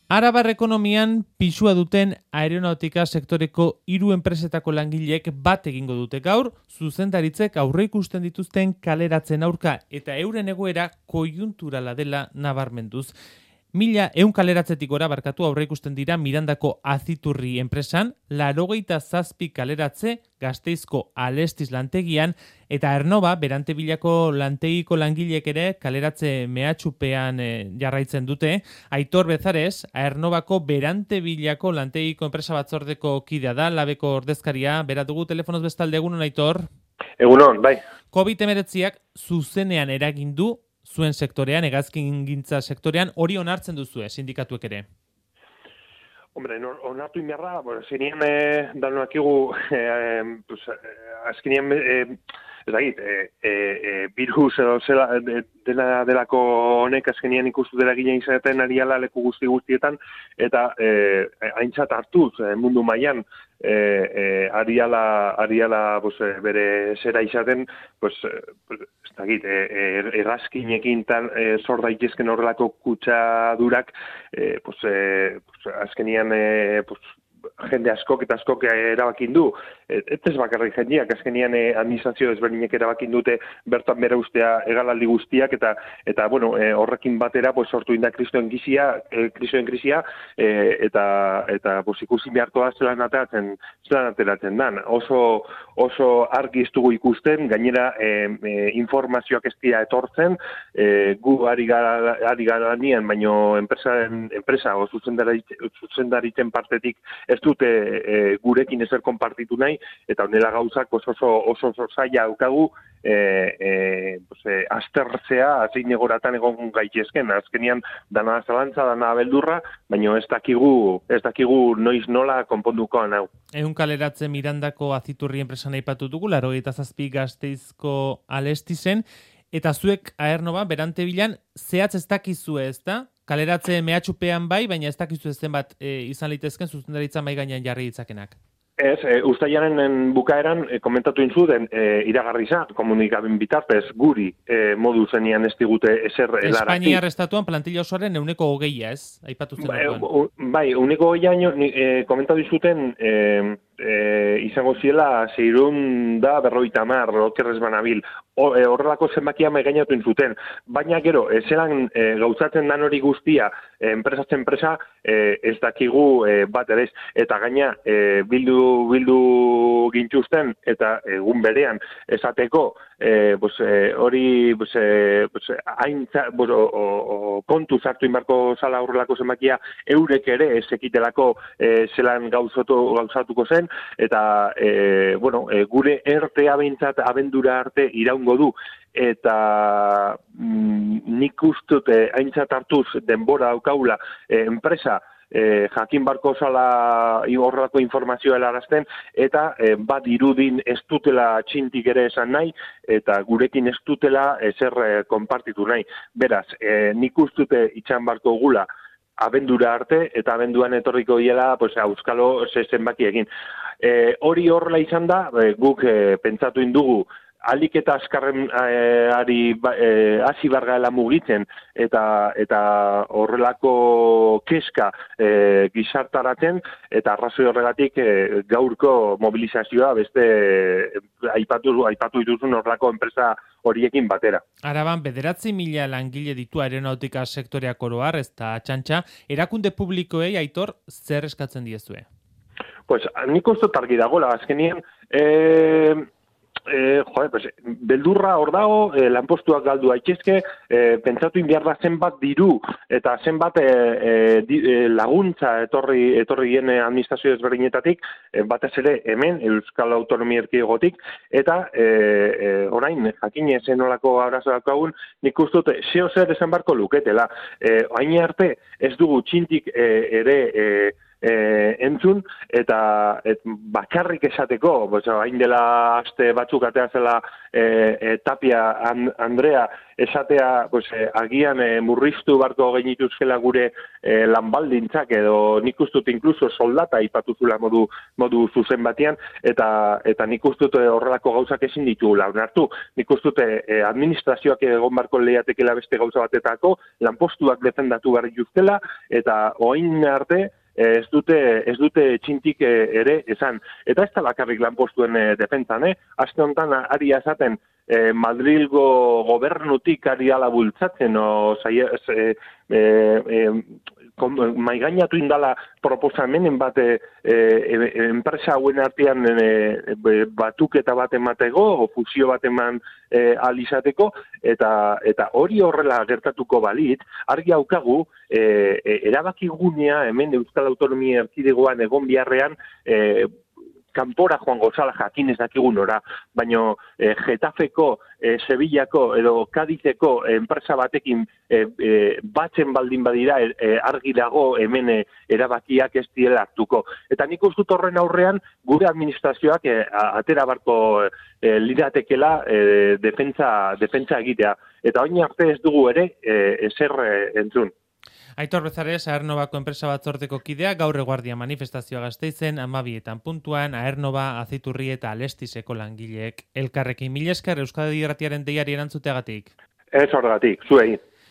Arabar ekonomian pisua duten aeronautika sektoreko 3 enpresetako langileek bat egingo dute gaur, zuzendaritzek aurreikusten dituzten kaleratzen aurka eta euren egoera koiunturala dela nabarmenduz. 1.100 kaleratzetik gora aurreikusten dira Mirandako Aziturri enpresan, 87 kaleratze Gasteizko Alestiz lantegian eta Ernova Berantebilako lantegiko langileek ere kaleratze mehatxupean jarraitzen dute. Aitor Bezares, Ernovako Berantebilako lantegiko enpresa batzordeko kidea da, labeko ordezkaria, bera dugu telefonoz bestalde. Egunon, Aitor? Egunon, bai. COVID-19ak zuzenean eragin du zuen sektorean, hegazkingintza sektorean, hori onartzen duzue, sindikatuek ere? Hombre, onartu inberra, zenean danoakigu, azkenean, ez dakit, virus edo delako honek azkenean ikustu dela ginen izaten ariala leku guztietan, eta aintzat hartuz mundu mailan ariala bere zera izaten, ez dakit, errazkinekin zor daitezken horrelako kutsadurak, azkenean jende askok erabakin du. Ez bakarrik jendeak, azkenean administrazio ezberdinek erabakin dute bertan bera ustea egalaldi guztiak, eta horrekin batera sortu inda kristoen krisia, eta ikusi beharko da zelan ateratzen dan. Oso argi ez dugu ikusten, gainera informazioak ez dira etortzen, gu ari gara nien, baino enpresa o zuzendaritzen partetik ez dute gurekin ezer konpartitu nahi, eta honela gauzak oso zaila daukagu aztertzea, zein egoratan egon gaitezken. Azkenean dana zalantza, dana beldurra, baina ez dakigu noiz nola konpondukoan hau. 100 kaleratze Mirandako Aziturri enpresan aipatu dugu, 87 Gasteizko Alestizen, eta zuek Aernova Berantebilan zehatz ez dakizue, ezta? Kaleratze mehatxupean bai, baina ez dakizu zenbat izan litezken zuzendaritza mai gainean jarri ditzakenak. Ez, uztailaren bukaeran komentatu inzuden iragarriza komunikaben bitartez guri modu zenian ez digute ezer helarazi. Espainiar estatuan plantilla osoaren 120, ez? Aipatu zen orduan. Bai, 120 komentatu inzuten izango ziela 650 okerrez banabil. Horrelako zenbakia maigainatu inzuten. Baina gero, zelan gauzatzen dan hori guztia enpresa ez dakigu bat ere ez. Eta gaina bildu gintuzten eta egun berean esateko hori kontu zartu inbarko zala horrelako zenbakia eurek ere ez ekitelako zelan gauzatuko zen, eta gure ertea behintzat abendura arte iraungo du, eta nik ustute aintzat hartuz denbora daukaula enpresa jakin barko zala horrelako informazioa helarazten, eta bat irudin ez dutela txintik ere esan nahi, eta gurekin ez dutela ezer konpartitu nahi. Beraz, nik ustute itxan barko gula abendura arte, eta abenduan etorriko diela auskalo zenbaki egin. Hori horrela izan da, guk pentsatu indugu, alik eta azkarren hasi bargaela mugitzen eta horrelako keska gizartaratzen, eta arrazoi horregatik gaurko mobilizazioa beste aipatu dituzun horrelako enpresa horiekin batera. Araban 9.000 langile ditu aeronautika sektoreak oro har, ez da txantxa, erakunde publikoei, Aitor, zer eskatzen diezue? Nik uste argi dagoela, azkenean beldurra hor dago, lanpostuak galdu daitezke, pentsatu inbiar da zenbat diru eta zenbat laguntza etorri gien administrazio ezberdinetatik, batez ere hemen Euskal Autonomia Erkidegotik, eta orain jakin zen nolako arazo daukagun, nik ustut zeo zer esan barko luketela. Hain arte ez dugu txintik ere entzun, eta bakarrik esateko, hain dela aste batzuk atea zela Tapia Andrea esatea agian murriztu barko genituzkela gure lanbaldintzak edo nik ustut inkluso soldata ipatuzula modu zuzen batean eta nik ustut horrelako gauzak ezin ditugula onartu. Nik ustut administrazioak egon barko lehiatekela beste gauza batetako lanpostuak defendatu behar dituztela eta orain arte ez dute txintik ere esan. Eta ez da bakarrik lanpostuen defentsan, Aste honetan ari esaten Madrilgo gobernutik ari ala bultzatzen, maigainatu indala proposamenen bat enpresa hauen artean batuketa bat emateko, o fusio bat eman alizateko, eta hori horrela gertatuko balit, argi haukagu, erabakigunea hemen Euskal Autonomia Erkidegoan egon biharrean, kanpora joango zala jakin ez dakigun ora, baina Getafeko, Sevillako edo Kadizeko enpresa batekin batzen baldin badira argi dago hemen erabakiak ez diela hartuko. Eta nik ustut horren aurrean gure administrazioak atera barko liratekela defentsa egitea. Eta oin arte ez dugu ere ezer entzun. Aitor Bezares, Aernnovako enpresa batzordeko kidea, gaur eguardia manifestazioa Gasteizen, 12 puntuan, Aernova, Aziturri eta Alestiseko langileek elkarrekin. Mila esker Euskadi Irratiaren deiari erantzuteagatik. Ez horregatik, zuei.